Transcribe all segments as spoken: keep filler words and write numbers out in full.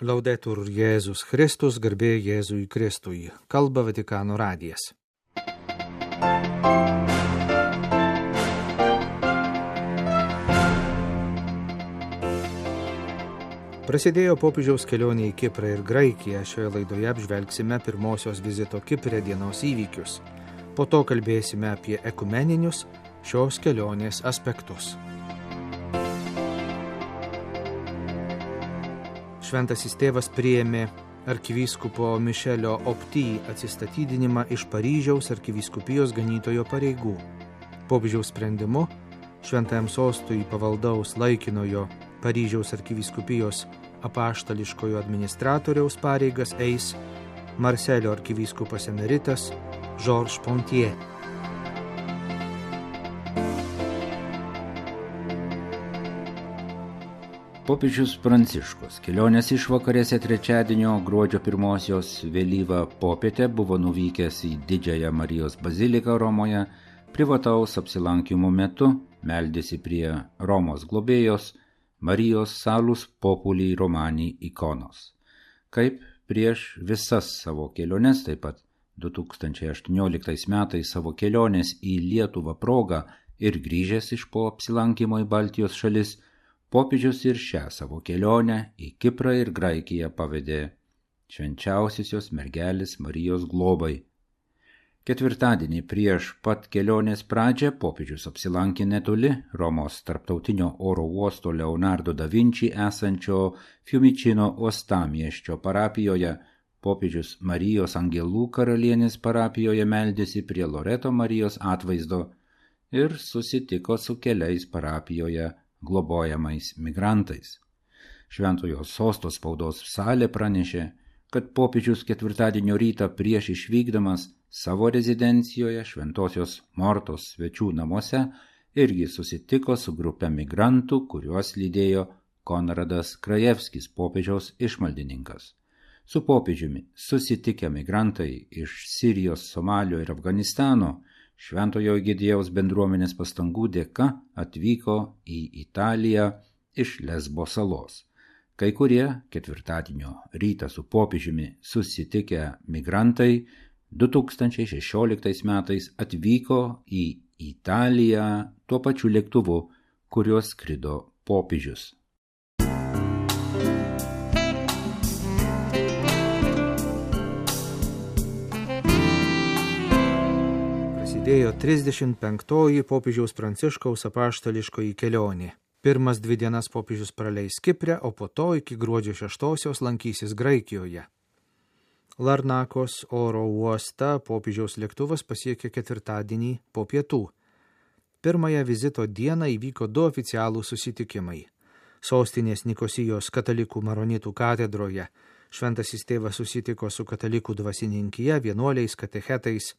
Laudetur Jėzus Kristus, garbė Jėzui Kristui. Kalba Vatikano radijas. Prasidėjo popiežiaus kelionė į Kiprą ir Graikiją. Šioje laidoje apžvelgsime pirmosios vizito Kipre dienos įvykius. Po to kalbėsime apie ekumeninius šios kelionės aspektus. Šventasis tėvas priėmė arkivyskupo Mišelio Opty atsistatydinimą iš Paryžiaus arkivyskupijos ganytojo pareigų. Popiežiaus sprendimu šventajam sostui pavaldaus laikinojo Paryžiaus arkivyskupijos apaštališkojo administratoriaus pareigas eis Marselio arkivyskupas emeritas Georges Pontier. Popiežius Pranciškus kelionės išvakarėse trečiadienio gruodžio pirmosios vėlyvą popietę buvo nuvykęs į Didžiąją Marijos baziliką Romoje, privataus apsilankimo metu meldėsi prie Romos globėjos Marijos Salus Populi Romani ikonos. Kaip prieš visas savo keliones, taip pat du tūkstančiai aštuonioliktais metais savo kelionės į Lietuvą progą ir grįžęs iš po apsilankimo į Baltijos šalis, popiežius ir šią savo kelionę į Kiprą ir Graikiją pavedė švenčiausiosios mergelės Marijos globai. Ketvirtadienį prieš pat kelionės pradžią popiežius apsilankė netoli Romos tarptautinio oro uosto Leonardo da Vinci esančio Fiumicino uostamiesčio parapijoje. Popiežius Marijos Angelų karalienės parapijoje meldėsi prie Loreto Marijos atvaizdo ir susitiko su keliais parapijoje globojamais migrantais. Šventojo sosto spaudos salė pranešė, kad popiežius ketvirtadienio rytą prieš išvykdamas savo rezidencijoje Šventosios Mortos svečių namuose irgi susitiko su grupe migrantų, kuriuos lydėjo Konradas Krajevskis, popiežiaus išmaldininkas. Su popiežiumi susitikę migrantai iš Sirijos, Somalio ir Afganistano Šventojo Egidiejaus bendruomenės pastangų dėka atvyko į Italiją iš Lesbo salos. Kai kurie ketvirtadienio rytą su popiežiumi susitikę migrantai du tūkstančiai šešioliktais metais atvyko į Italiją tuo pačiu lėktuvu, kuriuo skrido popiežius. Prasidėjo trisdešimt penktoji popiežiaus Pranciškaus apaštališkoji kelionė. Pirmas dvi dienas popiežius praleis Kipre, o po to iki gruodžio šeštosios lankysis Graikijoje. Larnakos oro uostą popiežiaus lėktuvas pasiekė ketvirtadienį po pietų. Pirmąją vizito dieną įvyko du oficialūs susitikimai. Sostinės Nikosijos katalikų maronitų katedroje šventasis tėvas susitiko su katalikų dvasininkija, vienuoliais, katechetais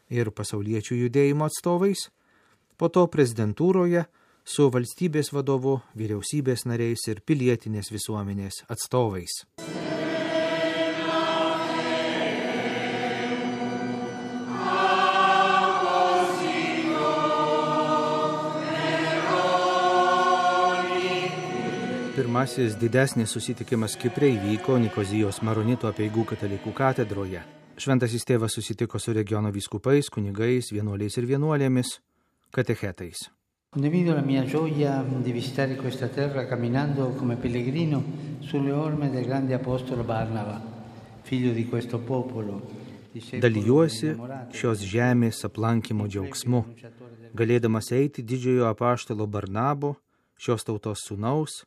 ir pasauliečių judėjimo atstovais, po to prezidentūroje su valstybės vadovu, vyriausybės nariais ir pilietinės visuomenės atstovais. Pirmasis didesnis susitikimas Kipre įvyko Nikozijos maronitų apeigų katalikų katedroje. Šventasis tėvas susitiko su regiono vyskupais, kunigais, vienuoliais ir vienuolėmis, katechetais. Condivido la mia gioia di visitare questa terra camminando come pellegrino sulle orme del grande apostolo Barnaba, figlio di questo popolo. Dalijuosi šios žemės aplankymo džiaugsmu, galėdamas eiti didžiojo apaštalo Barnabo, šios tautos sūnaus,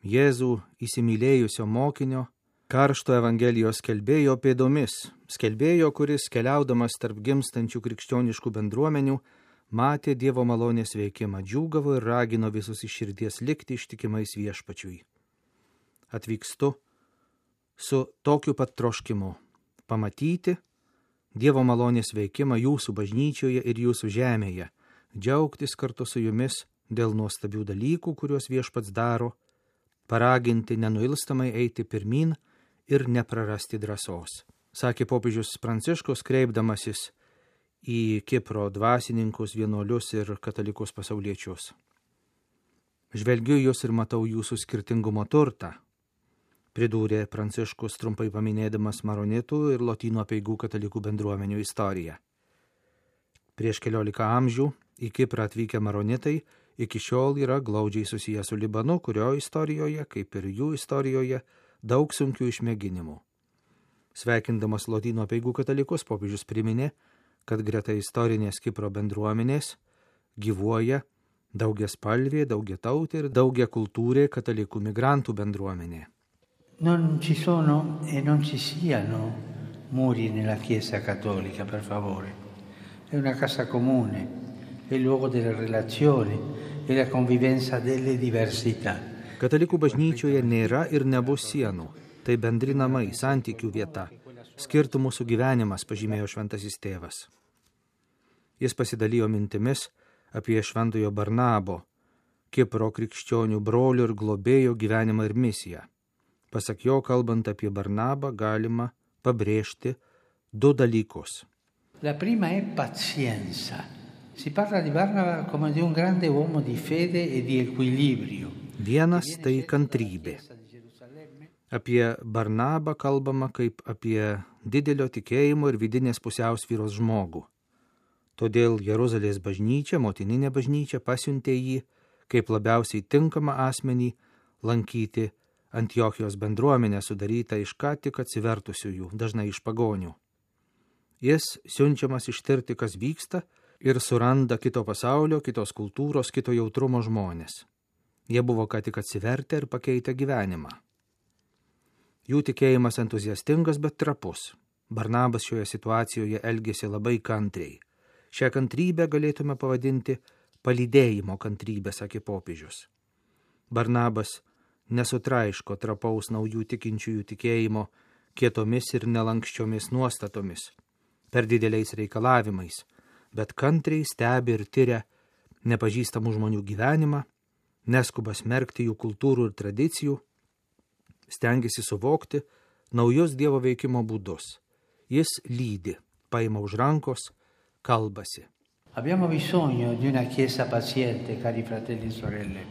Jėzų įsimylėjusio mokinio, karšto evangelijos skelbėjo pėdomis, skelbėjo, kuris keliaudamas tarp gimstančių krikščioniškų bendruomenių, matė Dievo malonės veikimą, džiūgavo ir ragino visus iš širdies likti ištikimais viešpačiui. Atvykstu su tokiu pat troškimu pamatyti Dievo malonės veikimą jūsų bažnyčioje ir jūsų žemėje, džiaugtis kartu su jumis dėl nuostabių dalykų, kuriuos viešpats daro, paraginti nenuilstamai eiti pirmin ir neprarasti drąsos, sakė popiežius Pranciškus, kreipdamasis į Kipro dvasininkus, vienuolius ir katalikus pasauliečius. Žvelgiu jūs ir matau jūsų skirtingumo turtą. pridūrė Pranciškus trumpai paminėdamas maronitų ir lotynų apeigų katalikų bendruomenių istoriją. Prieš keliolika amžių į Kiprą atvykę maronitai iki šiol yra glaudžiai susiję su Libanu, kurio istorijoje, kaip ir jų istorijoje, daug sunkių išmėginimų. Sveikindamas lotynų apeigų katalikus, popiežius priminė, kad greta istorinės Kipro bendruomenės gyvuoja daugiaspalvė, daugiatautė ir daugiakultūrė katalikų migrantų bendruomenė. Non ci sono e non ci siano muri nella Chiesa cattolica, per favore. È una casa comune, è il luogo delle relazioni e la convivenza delle diversità. Katalikų bažnyčioje nėra ir nebus sienų. Tai bendri namai, santykių vieta, skirtumų sugyvenimas, pažymėjo šventasis tėvas. Jis pasidalijo mintimis apie šventojo Barnabo, Kipro krikščionių brolių ir globėjo gyvenimą ir misiją. Pasak jo, kalbant apie Barnabą, galima pabrėžti du dalykus. La prima è pazienza. Si parla di Barnaba come di un grande uomo di fede e di equilibrio. Vienas tai kantrybė. Apie Barnabą kalbama kaip apie didelio tikėjimo ir vidinės pusiausvyros žmogų. Todėl Jeruzalės bažnyčia, motininė bažnyčia, pasiuntė jį kaip labiausiai tinkamą asmenį lankyti Antiochijos bendruomenę sudarytą iš ką tik atsivertusiųjų, dažnai iš pagonių. Jis siunčiamas ištirti, kas vyksta, ir suranda kito pasaulio, kitos kultūros, kito jautrumo žmonės. Jie buvo ką tik atsivertę ir pakeitę gyvenimą. Jų tikėjimas entuziastingas, bet trapus. Barnabas šioje situacijoje elgėsi labai kantriai. Šią kantrybę galėtume pavadinti palydėjimo kantrybę, sakė popiežius. Barnabas nesutraiško trapaus naujų tikinčiųjų tikėjimo kietomis ir nelankščiomis nuostatomis, per dideliais reikalavimais, bet kantriai stebi ir tyria nepažįstamų žmonių gyvenimą, neskuba smerkti jų kultūrų ir tradicijų, stengiasi suvokti naujus Dievo veikimo būdus. Jis lydi, paima už rankos, kalbasi. Abbiamo bisogno di una chiesa paziente, cari fratelli e sorelle,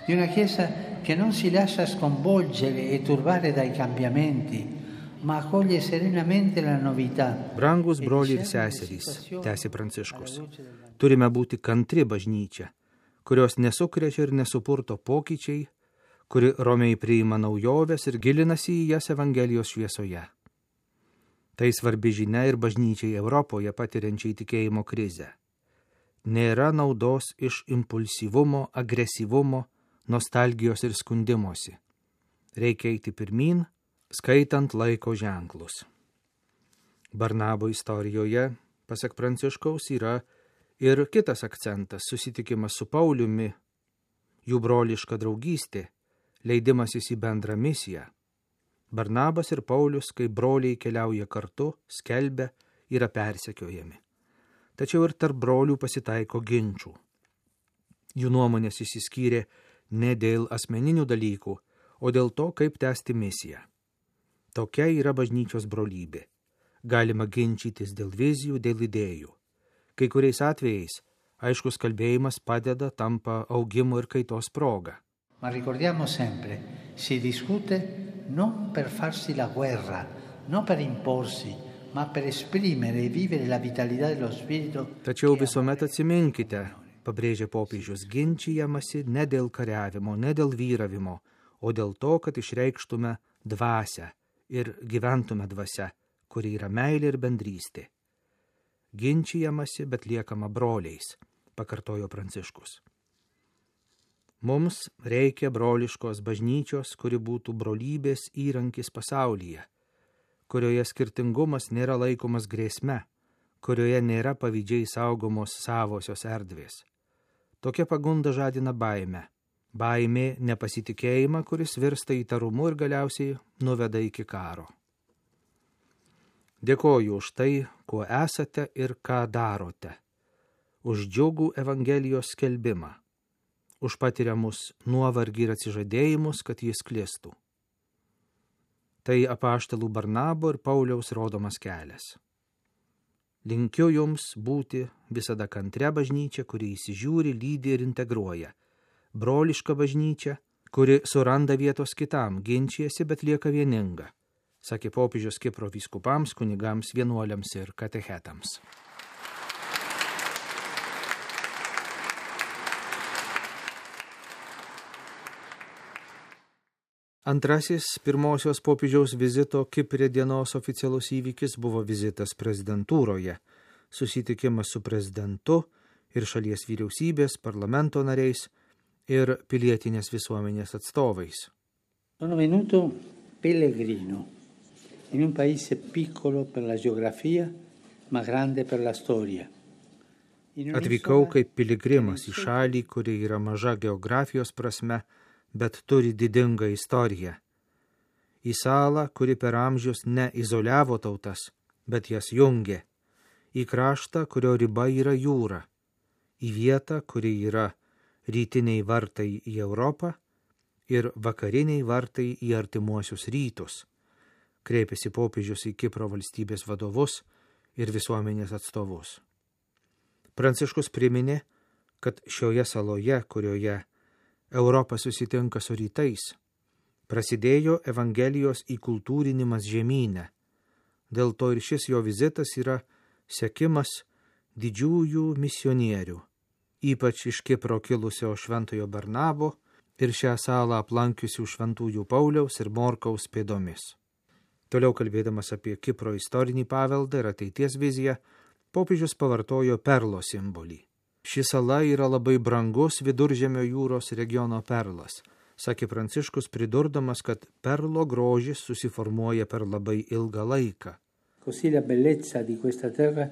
di una chiesa che non si lascia sconvolgere e turbare dai cambiamenti, ma accoglie serenamente la novità. Brangus broliai ir seserys, tęsė Pranciškus, turime būti kantri bažnyčia, kurios nesukrečia ir nesupurto pokyčiai, kuri romiai priima naujoves ir gilinasi į jas Evangelijos šviesoje. Tai svarbi žinia ir bažnyčiai Europoje patiriančiai tikėjimo krizę. Nėra naudos iš impulsyvumo, agresyvumo, nostalgijos ir skundimosi. Reikia eiti pirmyn, skaitant laiko ženklus. Barnabo istorijoje, pasak Pranciškaus, yra ir kitas akcentas – susitikimas su Pauliumi, jų broliška draugystė, leidimasis į bendrą misiją. Barnabas ir Paulius, kai broliai keliauja kartu, skelbia, yra persekiojami. Tačiau ir tarp brolių pasitaiko ginčių. Jų nuomonės išsiskyrė ne dėl asmeninių dalykų, o dėl to, kaip tęsti misiją. Tokia yra bažnyčios brolybė. Galima ginčytis dėl vizijų, dėl idėjų. Kai kuriais atvejais aiškus kalbėjimas padeda, tampa augimo ir kaitos proga. Ma ricordiamo sempre, si discute non per farsi la guerra, non per imporsi, ma per esprimere e vivere la vitalità dello spirito. Tačiau visuomet atsiminkite, pabrėžė popiežius, ginčijamasi ne dėl kariavimo, ne dėl vyravimo, o dėl to, kad išreikštume dvasią ir gyventume dvasia, kuri yra meilė ir bendrystė. Ginčijamasi, bet liekama broliais, pakartojo Pranciškus. Mums reikia broliškos bažnyčios, kuri būtų brolybės įrankis pasaulyje, kurioje skirtingumas nėra laikomas grėsme, kurioje nėra pavydžiai saugomos savosios erdvės. Tokia pagunda žadina baimę. Baimė nepasitikėjimą, kuris virsta įtarumu ir galiausiai nuveda iki karo. Dėkoju už tai, kuo esate ir ką darote, už džiugų Evangelijos skelbimą, už patiriamus nuovargį ir atsižadėjimus, kad jis sklistų. Tai apaštalų Barnabo ir Pauliaus rodomas kelias. Linkiu jums būti visada kantre bažnyčia, kuri įsižiūri, lydi ir integruoja. Broliška bažnyčia, kuri suranda vietos kitam, ginčijasi, bet lieka vieninga, sakė popiežius Kipro vyskupams, kunigams, vienuoliams ir katechetams. Antrasis pirmosios popiežiaus vizito Kiprė dienos oficialus įvykis buvo vizitas prezidentūroje, susitikimas su prezidentu ir šalies vyriausybės, parlamento nariais ir pilietinės visuomenės atstovais. Sono venuto pellegrino in un paese piccolo per la geografia, ma grande per la storia. Atvykau kaip piligrimas į šalį, kuri yra maža geografijos prasme, bet turi didingą istoriją. Į salą, kuri per amžius ne izoliavo tautas, bet jas jungė. Į kraštą, kurio riba yra jūra. Į vietą, kuri yra rytiniai vartai į Europą ir vakariniai vartai į artimuosius rytus. Kreipėsi popiežius į Kipro valstybės vadovus ir visuomenės atstovus. Pranciškus priminė, kad šioje saloje, kurioje Europa susitinka su rytais, prasidėjo Evangelijos įkultūrinimas žemyne. Dėl to ir šis jo vizitas yra sekimas didžiųjų misionierių, ypač iš Kipro kilusio šventojo Barnabo ir šią salą aplankiusių šventųjų Pauliaus ir Morkaus pėdomis. Toliau kalbėdamas apie Kipro istorinį paveldą ir ateities viziją, popiežius pavartojo perlo simbolį. Ši sala yra labai brangus Viduržemio jūros regiono perlas, sakė Pranciškus, pridurdamas, kad perlo grožis susiformuoja per labai ilgą laiką. Così la bellezza di questa terra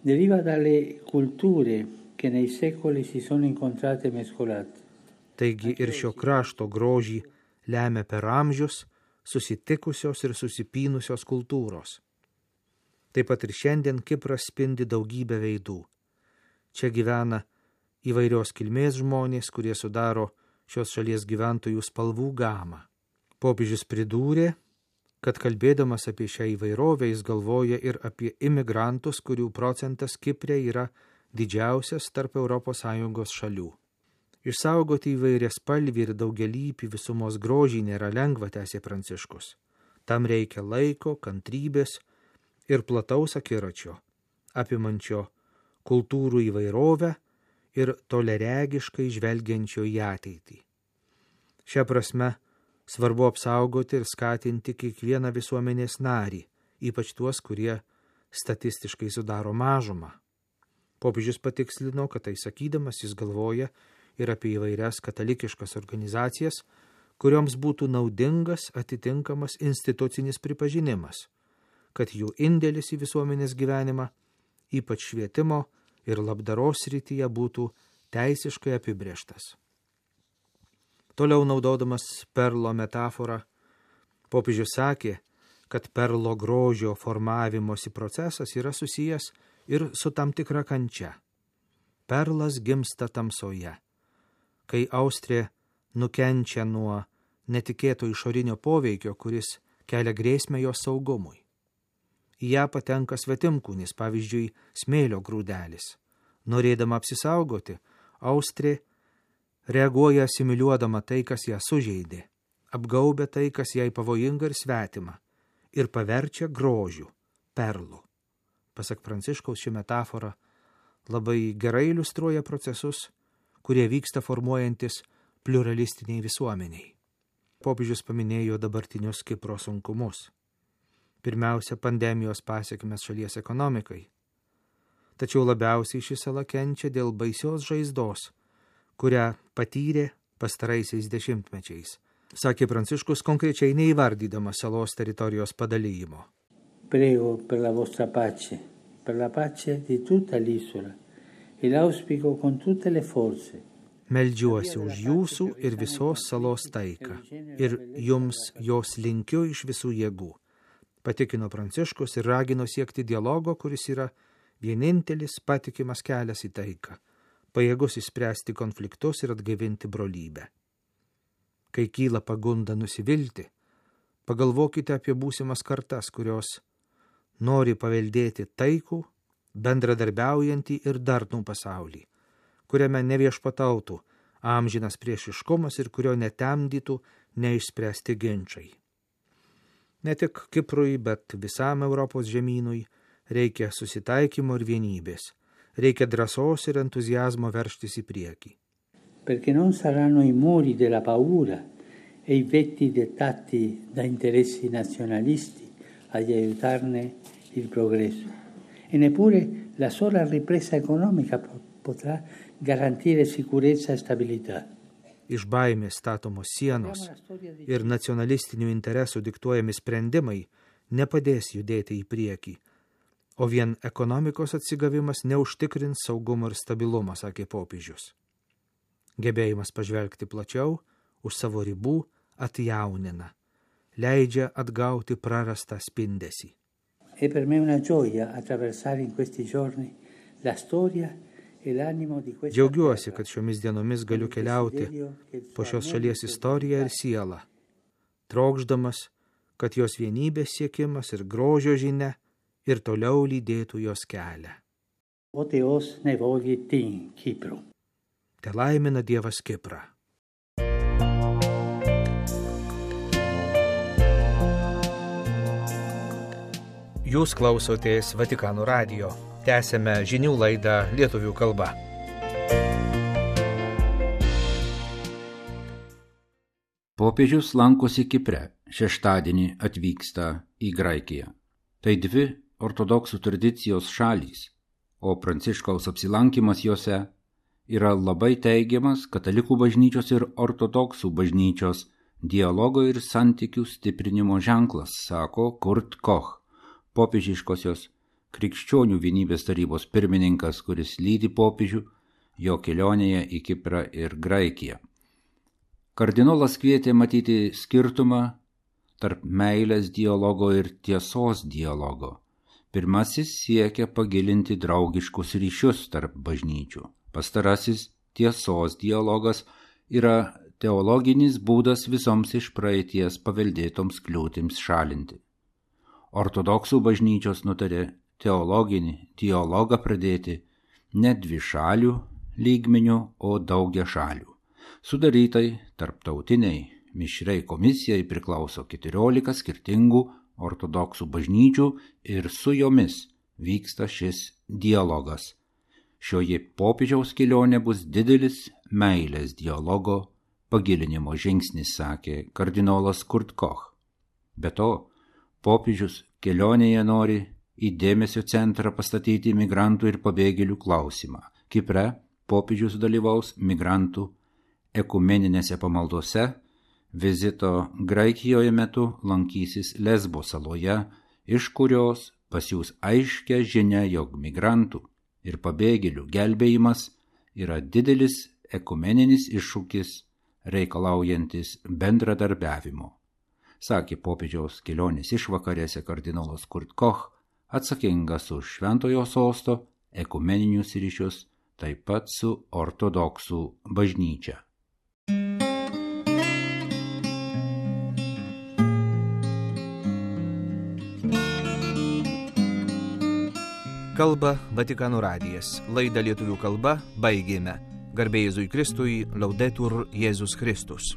deriva dalle culture che nei secoli si sono incontrate e mescolate. Taigi ir šio krašto grožį lemia per amžius susitikusios ir susipynusios kultūros. Taip pat ir šiandien Kipras spindi daugybę veidų. Čia gyvena įvairios kilmės žmonės, kurie sudaro šios šalies gyventojų spalvų gamą. Popiežius pridūrė, kad kalbėdamas apie šią įvairovę jis galvoja ir apie imigrantus, kurių procentas Kiprė yra didžiausias tarp Europos Sąjungos šalių. Išsaugoti įvairias spalvį ir daugialypį visumos grožį nėra lengva, tęsė Pranciškus. Tam reikia laiko, kantrybės ir plataus akiračio, apimančio kultūrų įvairovę ir toleregiškai žvelgiančio į ateitį. Šia prasme svarbu apsaugoti ir skatinti kiekvieną visuomenės narį, ypač tuos, kurie statistiškai sudaro mažumą. Popiežius patikslino, kad tai sakydamas jis galvoja ir apie įvairias katalikiškas organizacijas, kurioms būtų naudingas atitinkamas institucinis pripažinimas, kad jų indėlis į visuomenės gyvenimą, ypač švietimo ir labdaros srityje, būtų teisiškai apibrėžtas. Toliau naudodamas perlo metaforą, popiežius sakė, kad perlo grožio formavimosi procesas yra susijęs ir su tam tikra kančia. Perlas gimsta tamsoje, kai austrė nukenčia nuo netikėto išorinio poveikio, kuris kelia grėsmę jos saugumui. Į ją patenka svetimkūnis, pavyzdžiui, smėlio grūdelis. Norėdama apsisaugoti, austrė reaguoja asimiliuodama tai, kas ją sužeidė, apgaubia tai, kas jai pavojinga ir svetima, ir paverčia grožiu, perlu. Pasak Pranciškaus, ši metafora labai gerai iliustruoja procesus, kurie vyksta formuojantis pliuralistiniai visuomeniai. Popiežius paminėjo dabartinius Kipro sunkumus. Pirmiausia, pandemijos pasekmes šalies ekonomikai. Tačiau labiausiai ši sala kenčia dėl baisios žaizdos, kurią patyrė pastaraisiais dešimtmečiais, sakė Pranciškus, konkrečiai neįvardydamas salos teritorijos padalijimo. Prego per la vostra pace, per la pace di tutta l'isola e l'auspico con tutte le forze. Meldžiuosi už jūsų ir visos salos taiką, ir jums jos linkiu iš visų jėgų, patikino Pranciškus ir ragino siekti dialogo, kuris yra vienintelis patikimas kelias į taiką, pajėgus išspręsti konfliktus ir atgaivinti brolybę. Kai kyla pagunda nusivilti, pagalvokite apie būsimas kartas, kurios nori paveldėti taikų, bendradarbiaujantį ir darnų pasaulį, kuriame neviešpatautų amžinas priešiškumas ir kurio netemdytų neišspręsti ginčiai. Ne tik Kiprui, bet visam Europos žemynui reikia susitaikymo ir vienybės, reikia drąsos ir entuzijazmo veržtis į priekį. Perché non saranno i muri della paura e i vetti dettati da interessi nazionalisti ad aiutarne il progresso. E neppure la sola ripresa economica potrà garantire sicurezza e stabilità. Iš baimės statomos sienos ir nacionalistinių interesų diktuojami sprendimai nepadės judėti į priekį, o vien ekonomikos atsigavimas neužtikrins saugumo ir stabilumo, sakė popiežius. Gebėjimas pažvelgti plačiau, už savo ribų atjaunina, leidžia atgauti prarastą spindesį. È per me una gioia attraversare in questi giorni la storia e l'animo di questa Džiaugiuosi, kad šiomis dienomis galiu keliauti po šios šalies istoriją ir sielą, trokšdamas, kad jos vienybės siekimas ir grožio žinia ir toliau lydėtų jos kelią. O Teos ne vogitin Kipru. Te laimina Dievas Kiprą. Jūs klausotės Vatikano radijo. Tęsėme žinių laidą lietuvių kalba. Popiežius lankosi Kipre, šeštadienį atvyksta į Graikiją. Tai dvi ortodoksų tradicijos šalys, o Pranciškaus apsilankimas jose yra labai teigiamas katalikų bažnyčios ir ortodoksų bažnyčios dialogo ir santykių stiprinimo ženklas, sako Kurt Koch, popiežiškosios krikščionių vienybės tarybos pirmininkas, kuris lydi popiežių jo kelionėje į Kiprą ir Graikiją. Kardinolas kvietė matyti skirtumą tarp meilės dialogo ir tiesos dialogo. Pirmasis siekia pagilinti draugiškus ryšius tarp bažnyčių. Pastarasis tiesos dialogas yra teologinis būdas visoms iš praeities paveldėtoms kliūtims šalinti. Ortodoksų bažnyčios nutarė teologinį dialogą pradėti ne dvi šalių lygmenių, o daugia šalių. Sudarytai tarptautiniai mišriai komisijai priklauso keturiolika skirtingų ortodoksų bažnyčių ir su jomis vyksta šis dialogas. Šioje popiežiaus kelionė bus didelis meilės dialogo pagilinimo žingsnis, sakė kardinolas Kurt Koch. Be to, popiežius kelionėje nori į dėmesio centrą pastatyti migrantų ir pabėgėlių klausimą. Kipre popiežius dalyvaus migrantų ekumeninėse pamaldose, vizito Graikijoje metu lankysis Lesbo saloje, iš kurios pasiųs aiškę žinią, jog migrantų ir pabėgėlių gelbėjimas yra didelis ekumeninis iššūkis reikalaujantis bendradarbiavimo, sakė popiežiaus kelionės išvakarėse kardinolas Kurt Koch, atsakingas už Šventojo sosto ekumeninius ryšius, taip pat su ortodoksų bažnyčia. Kalba Vatikano radijas. Laidą lietuvių kalba baigėme. Garbė Jėzui Kristui, Laudetur Jėzus Kristus.